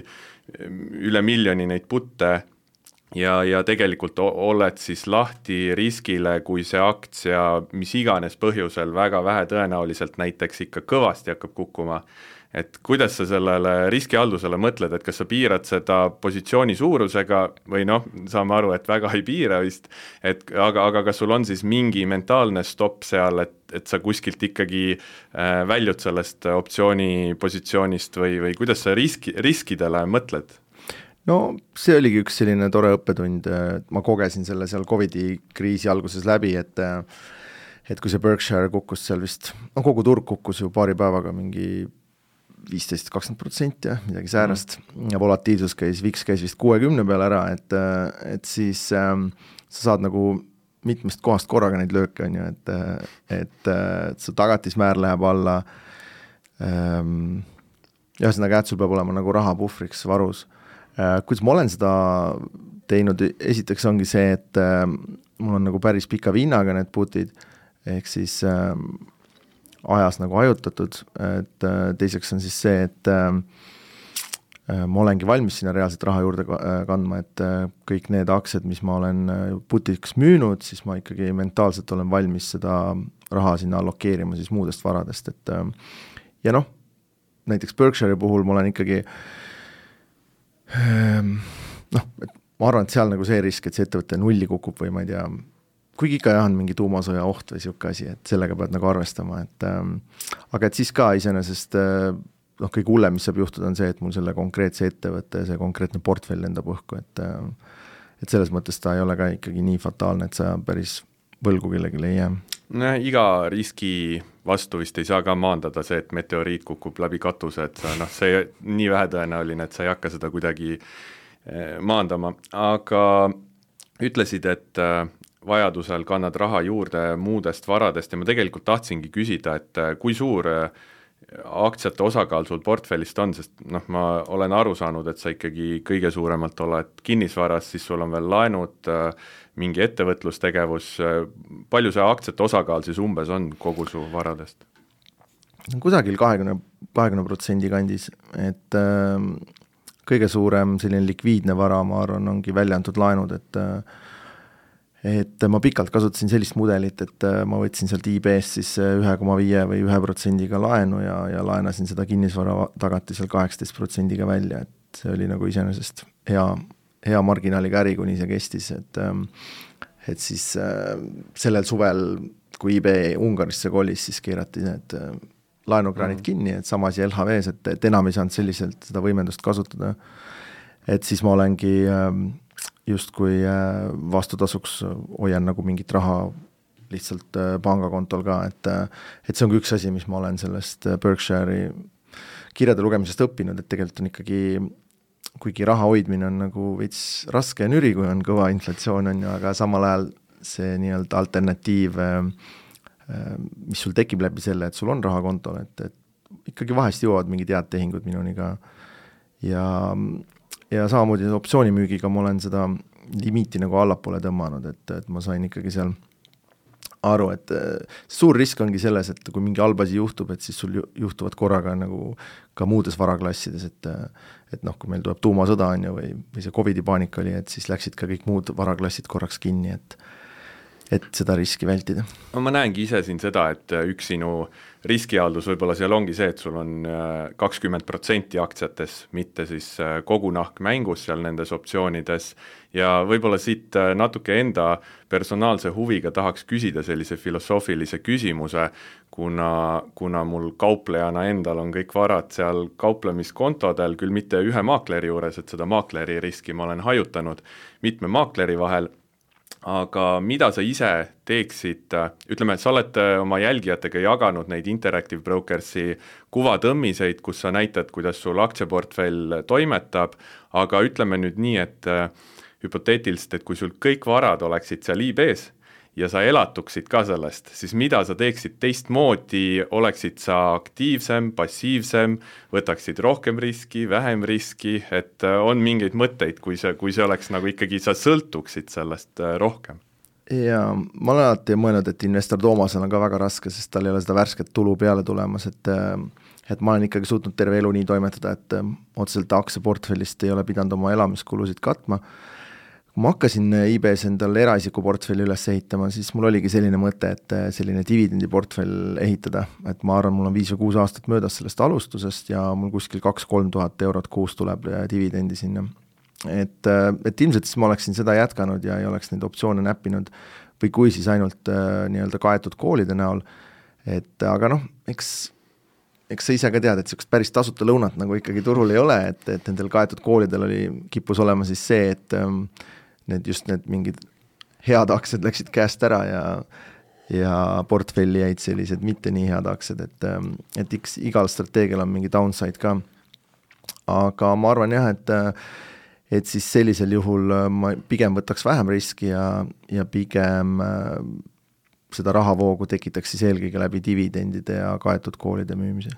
üle miljoni neid putte, ja, ja tegelikult oled siis lahti riskile, kui see aktsia mis iganes põhjusel väga vähe tõenäoliselt näiteks ikka kõvasti hakkab kukkuma. Et kuidas sa sellele riskihaldusele mõtled, et kas sa piirad seda positsiooni suurusega või noh, saame aru, et väga ei piira vist, et, aga, aga kas sul on siis mingi mentaalne stopp seal, et, et sa kuskilt ikkagi äh, väljud sellest optsiooni positsioonist või, või kuidas sa riski, riskidele mõtled? No see oligi üks selline tore õppetund, ma kogesin selle seal Covidi kriisi alguses läbi, et et kui see Berkshire kukkus seal vist, no kogu turg kukkus ju paari päevaga mingi viisteist kakskümmend protsenti, midagi säärast, mm. ja volatiilsus käis, V I X käis vist kuuekümne peale ära, et, et siis ähm, sa saad nagu mitmest kohast korraga neid lööke, on ju, et, et, et su tagatismäär läheb alla, ähm, ühesõnaga, et sul peab olema nagu rahapuhvriks varus. Kuidas ma olen seda teinud, esiteks ongi see, et äh, mul on nagu päris pika vinnaga need putid, ehk siis äh, ajas nagu ajutatud, et äh, teiseks on siis see, et äh, ma olengi valmis sinna reaalselt raha juurde kandma, et äh, kõik need aktsiad, mis ma olen putiks müünud, siis ma ikkagi mentaalselt olen valmis seda raha sinna allokeerima siis muudest varadest, et äh, ja noh, näiteks Berkshire puhul ma olen ikkagi noh, et ma arvan, et seal nagu see risk, et see ettevõtte nulli kukub või ma ei tea, kuigi ikka jah on mingi tuumasõja oht või siuke asi, et sellega pead nagu arvestama, et ähm, aga et siis ka iseenesest noh, kõige hullem, mis saab juhtuda, on see, et mul selle konkreetse ettevõtte, see konkreetne portfell lendab õhku, et äh, et selles mõttes ta ei ole ka ikkagi nii fataalne, et sa päris võlgu kellelegi ei jää. No, iga riski vastu vist ei saa ka maandada see, et meteoriit kukub läbi katuse, et noh, see nii vähetõenäoline, et sa ei hakka seda kuidagi maandama, aga ütlesid, et vajadusel kannad raha juurde muudest varadest ja ma tegelikult tahtsingi küsida, et kui suur aktsiate osakaal sul portfellist on, sest noh, ma olen aru saanud, et sa ikkagi kõige suuremalt oled kinnisvaras, siis sul on veel laenud, mingi ettevõtlustegevus, palju see aktsiate osakaal siis umbes on kogu su varadest? Kusagil kahekümne protsendi kandis, et äh, kõige suurem selline likviidne vara, ma arvan, ongi välja antud laenud, et äh, et ma pikalt kasutasin sellist mudelit, et ma võtsin sealt I B-st siis ühe koma viie või ühe protsendiga laenu ja, ja laenasin seda kinnisvara tagatisel kaheksateist protsendiga välja, et see oli nagu iseenesest hea, hea marginaaliga äri, kuni see kestis, et et siis sellel suvel, kui I B Ungarisse kolis, siis keerati need laenukraanid mm. kinni, et samas ja L H V-s, et, et enam ei saanud selliselt seda võimendust kasutada, et siis ma olengi justkui vastutasuks hoian nagu mingit raha lihtsalt pangakontol ka, et, et see on üks asi, mis ma olen sellest Berkshire'i kirjade lugemisest õppinud, et tegelikult on ikkagi, kuigi raha hoidmine on nagu veits raske ja nüri, kui on kõva inflatsioon, on ju, aga samal ajal see nii-öelda alternatiiv, mis sul tekib läbi selle, et sul on raha kontol, et, et ikkagi vahest jõuavad mingid head tehingud minuni ka ja ja samamoodi optsioonimüügiga ma olen seda limiiti nagu allapoole tõmmanud, et, et ma sain ikkagi seal aru, et suur risk ongi selles, et kui mingi halb asi juhtub, et siis sul juhtuvad korraga nagu ka muudes varaklassides, et et noh, kui meil tuleb tuumasõda on ju, või, või see Covidi paanika oli, et siis läksid ka kõik muud varaklassid korraks kinni, et et seda riski vältida. Ma näengi ise siin seda, et üks sinu riskihaldus võib-olla seal ongi see, et sul on kakskümmend protsenti aktsiates, mitte siis kogu nahk mängus seal nendes optsioonides ja võib-olla siit natuke enda personaalse huviga tahaks küsida sellise filosoofilise küsimuse, kuna, kuna mul kauplejana endal on kõik varad seal kauplemiskontodel, küll mitte ühe maakleri juures, et seda maakleri riski ma olen hajutanud mitme maakleri vahel, aga mida sa ise teeksid, ütleme, et sa oled oma jälgijatega jaganud neid Interactive Brokersi kuvatõmmiseid, kus sa näitad, kuidas sul aktsiaportfell toimetab, aga ütleme nüüd nii, et hüpoteetiliselt, et kui sul kõik varad oleksid seal I B-s ja sa elatuksid ka sellest, siis mida sa teeksid teistmoodi, oleksid sa aktiivsem, passiivsem, võtaksid rohkem riski, vähem riski, et on mingeid mõtteid, kui see, kui see oleks nagu ikkagi, sa sõltuksid sellest rohkem? Ja ma olen alati mõelnud, et investor Toomasel on ka väga raske, sest tal ei ole seda värsket tulu peale tulemas, et et ma olen ikkagi suutnud terve elu nii toimetada, et otseselt aktsiaportfellist ei ole pidanud oma elamiskulusid katma. Kui ma hakkasin I B-s endal eraisiku portfelli üles ehitama, siis mul oligi selline mõte, et selline dividendiportfell ehitada, et ma arvan, mul on viis või kuus aastat möödas sellest alustusest ja mul kuskil kaks-kolm tuhat eurot kuus tuleb dividendi sinna. Et, et ilmselt siis ma oleksin seda jätkanud ja ei oleks neid optsioone näppinud või kui siis ainult nii-öelda kaetud koolide näol, et aga noh, eks eks sa ise ka tead, et sellist päris tasuta lõunat nagu ikkagi turul ei ole, et, et nendel kaetud koolidel oli, kippus olema siis see, et um, need just need mingid head aktsiad läksid käest ära ja, ja portfelli jäid sellised mitte nii head aktsiad, et, um, et iks, igal strateegial on mingi downside ka. Aga ma arvan jah, et, et siis sellisel juhul ma pigem võtaks vähem riski ja, ja pigem seda rahavoogu tekitaks siis eelkõige läbi dividendide ja kaetud koolide müümise.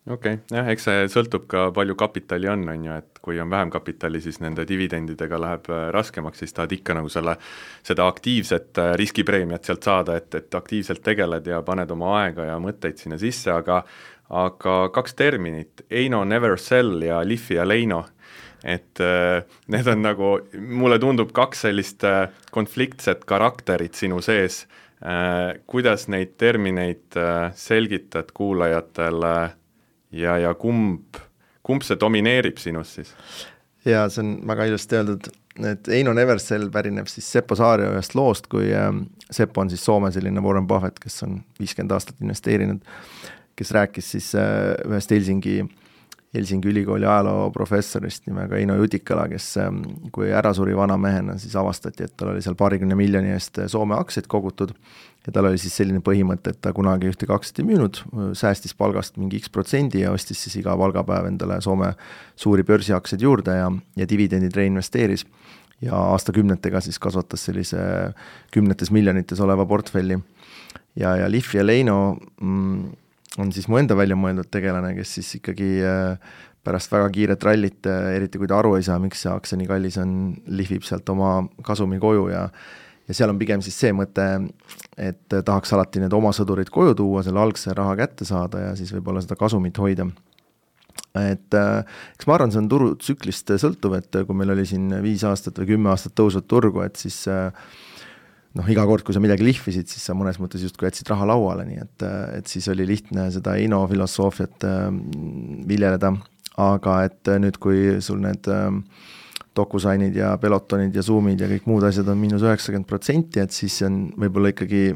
Okei, okay. jah, eks see sõltub ka palju kapitali on, on ju, et kui on vähem kapitali, siis nende dividendidega läheb raskemaks, siis tahad ikka nagu selle, seda aktiivset riskipreemiat sealt saada, et, et aktiivselt tegeled ja paned oma aega ja mõtteid sinna sisse, aga, aga kaks terminit, Eino Never Sell ja Lifi ja Leino, et äh, need on nagu, mulle tundub kaks sellist äh, konfliktset karakterit sinu sees. Äh, kuidas neid termineid äh, selgitad kuulajatele ja, ja kumb, kumb see domineerib sinus siis? Ja see on väga ilusti öeldud, et Eino Never Sell pärineb siis Seppo Saario ühest loost, kui äh, Seppo on siis Soome selline Warren Buffett, kes on viiskümmend aastat investeerinud, kes rääkis siis äh, ühest Helsingi Helsingi ülikooli ajaloo professorist nimega Eino Jutikala, kes kui ära suri vana mehena, siis avastati, et tal oli seal paarikümne miljoni eest Soome aktsiaid kogutud ja tal oli siis selline põhimõte, et ta kunagi ühtegi aktsiat ei müünud, säästis palgast mingi X protsendi ja ostis siis iga palgapäev endale Soome suuri börsiaktsiaid juurde ja, ja dividendid reinvesteeris. ja aastakümnetega siis kasvatas sellise kümnetes miljonites oleva portfelli. Ja, ja Liffi ja Leino mm, on siis mu enda välja mõeldud tegelane, kes siis ikkagi pärast väga kiiret rallit, eriti kui ta aru ei saa, miks see aktsia nii kallis on, lihvib sealt oma kasumi koju ja ja seal on pigem siis see mõte, et tahaks alati need oma sõdurid koju tuua, selle algse raha kätte saada ja siis võib-olla seda kasumit hoida. Et eks ma arvan, see on turutsüklist sõltuv, et kui meil oli siin viis aastat või kümme aastat tõusvat turgu, et siis noh, iga kord, kui sa midagi lihvisid, siis sa mõnes mõttes just kui jätsid raha lauale, nii et, et siis oli lihtne seda Eino filosoofiat viljeleda, aga et nüüd, kui sul need DocuSignid ja Pelotonid ja Zoomid ja kõik muud asjad on miinus üheksakümmend protsenti, et siis on võib-olla ikkagi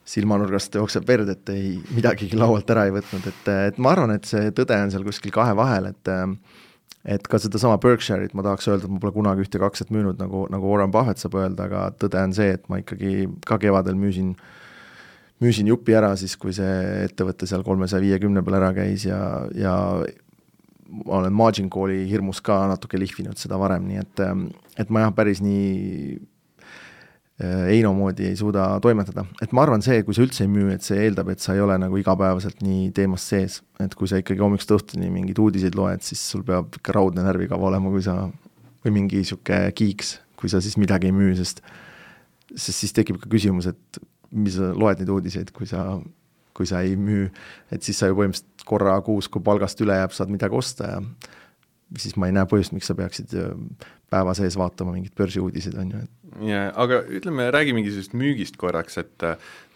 silmanurgast jookseb verd, et ei midagigi laualt ära ei võtnud, et, et ma arvan, et see tõde on seal kuskil kahe vahel, et et ka seda sama Berkshire'it ma tahaks öelda, et ma pole kunagi ühte kakset müünud, nagu, nagu Warren Buffett saab öelda, aga tõde on see, et ma ikkagi ka kevadel müüsin, müüsin jupi ära siis, kui see ettevõte seal kolmesaja viiekümne peal ära käis ja, ja ma olen margin call'i hirmus ka natuke lihvinud seda varem, nii et, et ma jah, päris nii Eino moodi ei suuda toimetada. Et ma arvan see, kui sa üldse ei müü, et see eeldab, et sa ei ole nagu igapäevaselt nii teemas sees. Et kui sa ikkagi hommikust õhtuni mingid uudiseid loed, siis sul peab ikka raudne närvikava olema, kui sa, või mingi siuke kiiks, kui sa siis midagi ei müü, sest, sest siis tekib ka küsimus, et mis sa loed neid uudiseid, kui sa kui sa ei müü, et siis sa ju põhimõtteliselt korra kuus, kui palgast üle jääb, saad midagi osta ja siis ma ei näe põhjust, miks sa peaksid päeva sees vaatama mingid börsiuudiseid, on ju. Ja, aga ütleme, räägi mingi sellist müügist korraks, et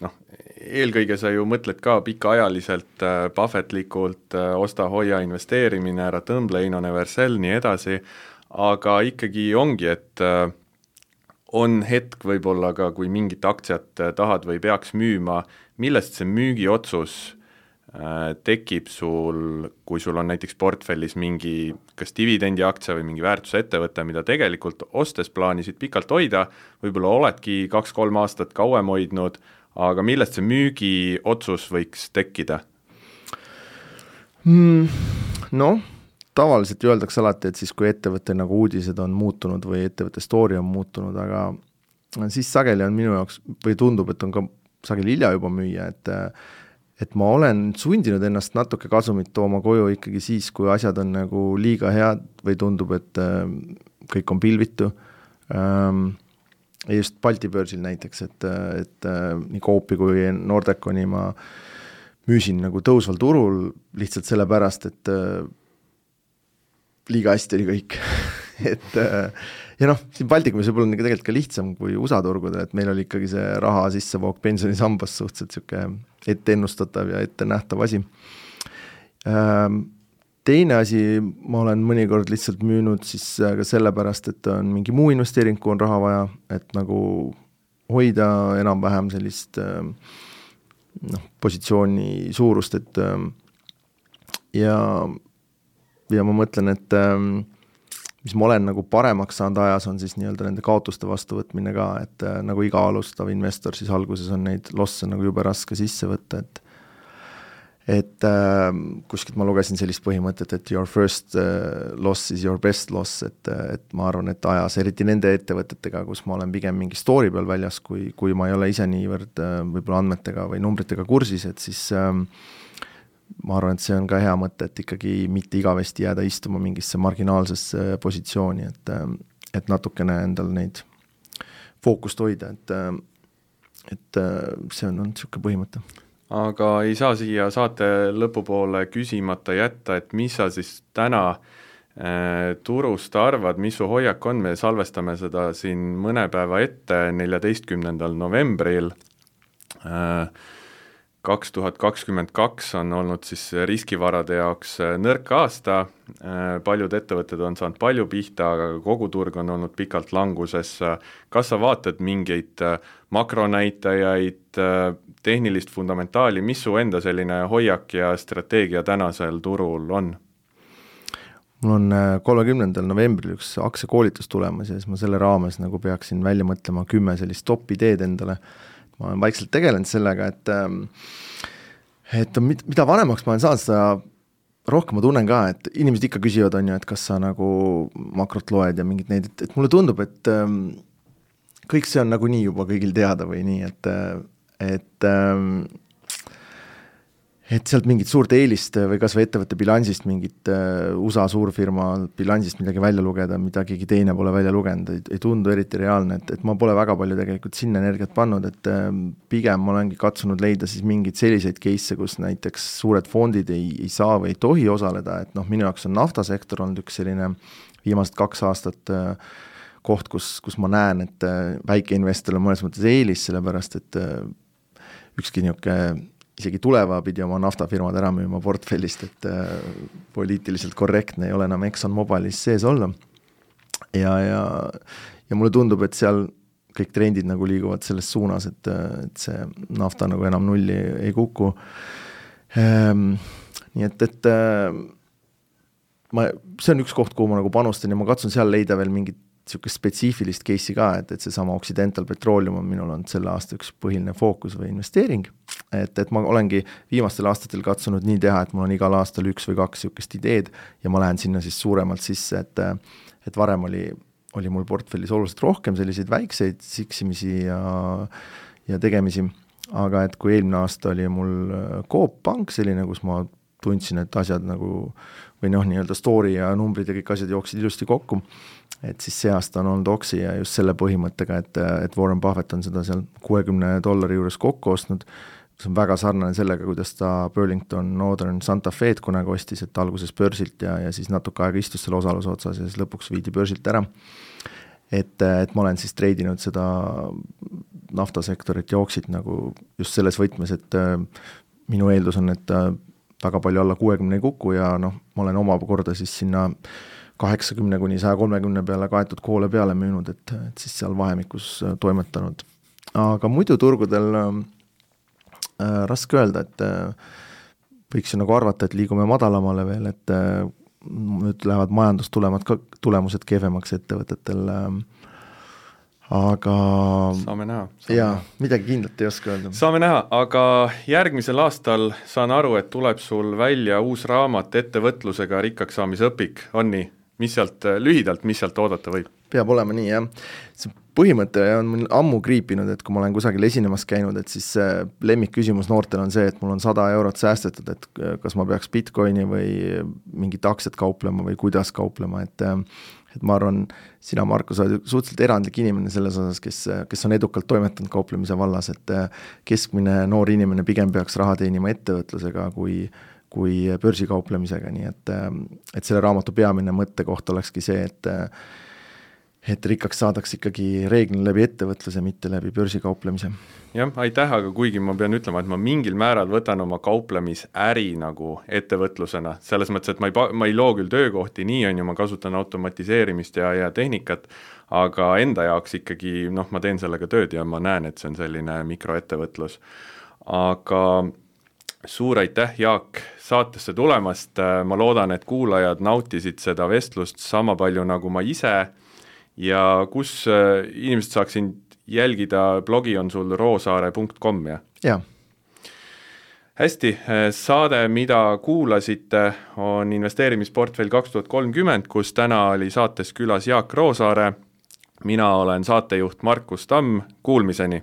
noh, eelkõige sa ju mõtled ka pikaajaliselt, Buffettlikult, osta, hoia, investeerimine, ära tõmble, Eino Neversell, nii edasi, aga ikkagi ongi, et on hetk võib-olla ka, kui mingit aktsiat tahad või peaks müüma, millest see müügiotsus äh, tekib sul, kui sul on näiteks portfellis mingi kas dividendi aktsia või mingi väärtusettevõte, mida tegelikult ostes plaanisid pikalt hoida, võib-olla oledki kaks-kolm aastat kauem hoidnud, aga millest see müügiotsus võiks tekkida? Mm, no, tavaliselt öeldakse alati, et siis kui ettevõtte nagu uudised on muutunud või ettevõtte story on muutunud, aga siis sageli on minu jaoks, või tundub, et on ka sageli hilja juba müüa, et, et ma olen sundinud ennast natuke kasumit tooma koju ikkagi siis, kui asjad on nagu liiga head või tundub, et kõik on pilvitu. Ja just Balti börsil näiteks, et, et nii Coopi kui Nordeconi ma müüsin nagu tõusval turul lihtsalt sellepärast, et liiga hästi oli kõik. et ja noh, siin Baltikumis võib olla tegelikult ka lihtsam kui U S A turgudel, et meil oli ikkagi see raha sissevoog pensionisambas suhteliselt siuke ette ennustatav ja ette nähtav asi. Teine asi, ma olen mõnikord lihtsalt müünud siis ka sellepärast, et on mingi muu investeering, kui on raha vaja, et nagu hoida enam-vähem sellist noh, positsiooni suurust, et ja, ja ma mõtlen, et mis ma olen nagu paremaks saanud ajas, on siis nii-öelda nende kaotuste vastuvõtmine ka, et nagu iga alustav investor, siis alguses on neid losse nagu jube raske sisse võtta, et et äh, kuskilt ma lugesin sellist põhimõtet, et your first uh, loss is your best loss, et, et ma arvan, et ajas, eriti nende ettevõtetega, kus ma olen pigem mingi story peal väljas, kui, kui ma ei ole ise niivõrd äh, võib-olla andmetega või numbritega kursis, et siis äh, ma arvan, et see on ka hea mõte, et ikkagi mitte igavesti jääda istuma mingisse marginaalsesse positsiooni, et, et natukene endal neid fookust hoida, et, et see on olnud niisugune põhimõte. Aga ei saa siia saate lõpupoole küsimata jätta, et mis sa siis täna äh, turust arvad, mis su hoiak on, me salvestame seda siin mõne päeva ette, neljateistkümnendal novembril äh, kaks tuhat kakskümmend kaks on olnud siis riskivarade jaoks nõrk aasta, paljud ettevõtted on saanud palju pihta, aga kogu turg on olnud pikalt languses. Kas sa vaatad mingeid makronäitajaid, tehnilist fundamentaali, mis su enda selline hoiak ja strateegia tänasel turul on? Mul on kolmekümnendal novembril üks aktsiakoolitus tulemas ja siis ma selle raames nagu peaksin välja mõtlema kümme sellist top ideed endale. Ma olen vaikselt tegelenud sellega, et, et mida vanemaks ma olen saanud, seda rohkem ma tunnen ka, et inimesed ikka küsivad, on ju, et kas sa nagu makrot loed ja mingid neid, et, et mulle tundub, et ähm, kõik see on nagu nii juba kõigil teada või nii, et, et, ähm, et sealt mingit suurt eelist või kas või ettevõtte bilansist, mingit äh, U S A suurfirma bilansist midagi välja lugeda, mida keegi teine pole välja lugenud, ei, ei tundu eriti reaalne, et, et ma pole väga palju tegelikult sinna energiat pannud, et äh, pigem ma olengi katsunud leida siis mingeid selliseid case'e, kus näiteks suured fondid ei, ei saa või ei tohi osaleda, et noh, minu jaoks on naftasektor olnud üks selline viimased kaks aastat äh, koht, kus, kus ma näen, et äh, väikeinvestoril on mõnes mõttes eelis, sellepärast et äh, ükski niisugune isegi tuleva pidi oma naftafirmad ära müüma portfellist, et äh, poliitiliselt korrektne ei ole enam Exxon Mobilis sees olla. Ja, ja, ja mulle tundub, et seal kõik trendid nagu liiguvad selles suunas, et, et see nafta nagu enam nulli ei kuku. Ähm, nii et, et äh, ma, see on üks koht, kuhu ma nagu panustan ja ma katsun seal leida veel mingit niisugust spetsiifilist case'i ka, et, et see sama Occidental Petroleum on minul olnud selle aasta üks põhiline fookus või investeering, et, et ma olengi viimastel aastatel katsunud nii teha, et mul on igal aastal üks või kaks niisugust ideed ja ma lähen sinna siis suuremalt sisse, et, et varem oli, oli mul portfellis oluliselt rohkem selliseid väikseid siksimisi ja, ja tegemisi, aga et kui eelmine aasta oli mul Coop Pank selline, kus ma tundsin, et asjad nagu või noh, nii-öelda story ja numbrid ja kõik asjad jooksid ilusti kokku, et siis see aasta on olnud Oxy ja just selle põhimõttega, et, et Warren Buffett on seda seal kuuekümne dollari juures kokku ostnud, see on väga sarnane sellega, kuidas ta Burlington Northern Santa Fe'd kunagi ostis, et alguses börsilt ja, ja siis natuke aega istus selle osaluse otsas ja siis lõpuks viidi börsilt ära. Et, et ma olen siis treidinud seda naftasektorit ja Oxyt nagu just selles võtmes, et minu eeldus on, et väga palju alla kuuekümne ei kuku ja noh, ma olen oma korda siis sinna kaheksakümne kuni saja kolmekümne peale kaetud koole peale müünud, et, et siis seal vahemikus toimetanud. Aga muidu turgudel äh, raske öelda, et äh, võiks ju nagu arvata, et liigume madalamale veel, et äh, nüüd lähevad majandustulemad ka tulemused kehvemaks ettevõtetel äh, aga saame näha. Jaa, midagi kindlat ei oska öelda. Saame näha, aga järgmisel aastal saan aru, et tuleb sul välja uus raamat ettevõtlusega rikkaks saamise õpik, on nii? Mis sealt lühidalt, mis sealt oodata võib? Peab olema nii, jah. See põhimõte on mul ammu kriipinud, et kui ma olen kusagil esinemas käinud, et siis lemmik küsimus noortel on see, et mul on sada eurot säästetud, et kas ma peaks Bitcoini või mingit aktsiat kauplema või kuidas kauplema, et et ma arvan, sina, Marko, sa oled suhteliselt erandlik inimene selles osas, kes, kes on edukalt toimetanud kauplemise vallas, et keskmine noor inimene pigem peaks raha teenima ettevõtlusega kui, kui börsikauplemisega, nii et, et selle raamatu peamine mõttekoht olekski see, et et rikkaks saadaks ikkagi reeglina läbi ettevõtluse, mitte läbi börsikauplemise. Jah, aitäh, aga kuigi ma pean ütlema, et ma mingil määral võtan oma kauplemisäri nagu ettevõtlusena, selles mõttes, et ma ei, ma ei loo küll töökohti, nii on ju, ma kasutan automatiseerimist ja, ja tehnikat, aga enda jaoks ikkagi, noh, ma teen sellega tööd ja ma näen, et see on selline mikroettevõtlus. Aga suur aitäh, Jaak, saatesse tulemast, ma loodan, et kuulajad nautisid seda vestlust sama palju nagu ma ise ja kus inimesed saaksin jälgida, blogi on sul roosaare punkt com, jah? Jaa. Hästi, saade, mida kuulasite, on investeerimisportfell kaks tuhat kolmkümmend, kus täna oli saates külas Jaak Roosaare. Mina olen saatejuht Markus Tamm, kuulmiseni!